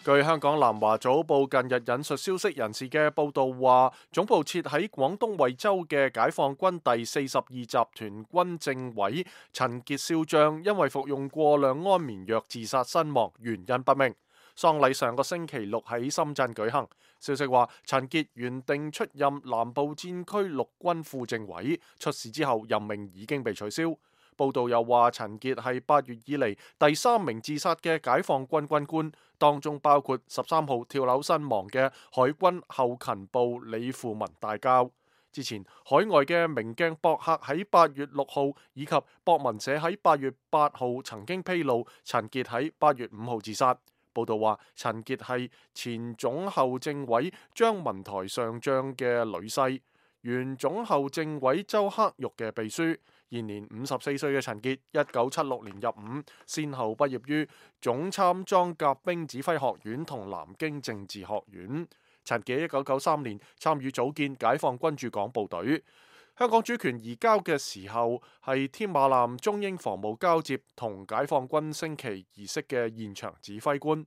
據香港南華早報近日引述消息人士嘅報道話，總部設喺廣東惠州嘅解放軍第42集團軍政委陳傑少將因為服用過量安眠藥自殺身亡，原因不明。喪禮上個星期六喺深圳舉行。消息話，陳傑原定出任南部戰區陸軍副政委，出事之後任命已經被取消。報道又話，陳傑係8月以嚟第3名自殺嘅解放軍軍官，當中包括13號跳樓身亡嘅海軍後勤部李富文大校。之前海外嘅明鏡博客喺8月6號以及博文社喺8月8號曾經披露陳傑喺8月5號自殺。報道話，陳傑係前總後政委張文台上將嘅女婿，原總後政委周克玉嘅秘書。現年54歲嘅陳傑，1976年入伍，先後畢業於總參裝甲兵指揮學院同南京政治學院。陳傑1993年參與組建解放軍駐港部隊。香港主權移交嘅時候，係添馬艦中英防務交接同解放軍升旗儀式嘅現場指揮官。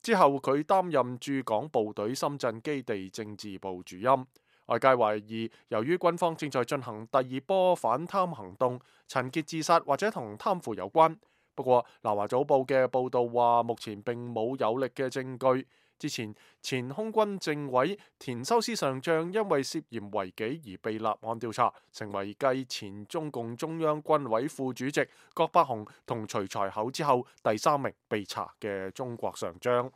之後佢擔任駐港部隊深圳基地政治部主任。外界懷疑，由於軍方正在進行第2波反貪行動，陳傑自殺或者同貪腐有關。不過，南華早報嘅報導話，目前並冇有力嘅證據。之前，前空軍政委田修斯上將因為涉嫌違紀而被立案調查，成為繼前中共中央軍委副主席葛伯雄同徐才厚之後第3名被查嘅中國上將。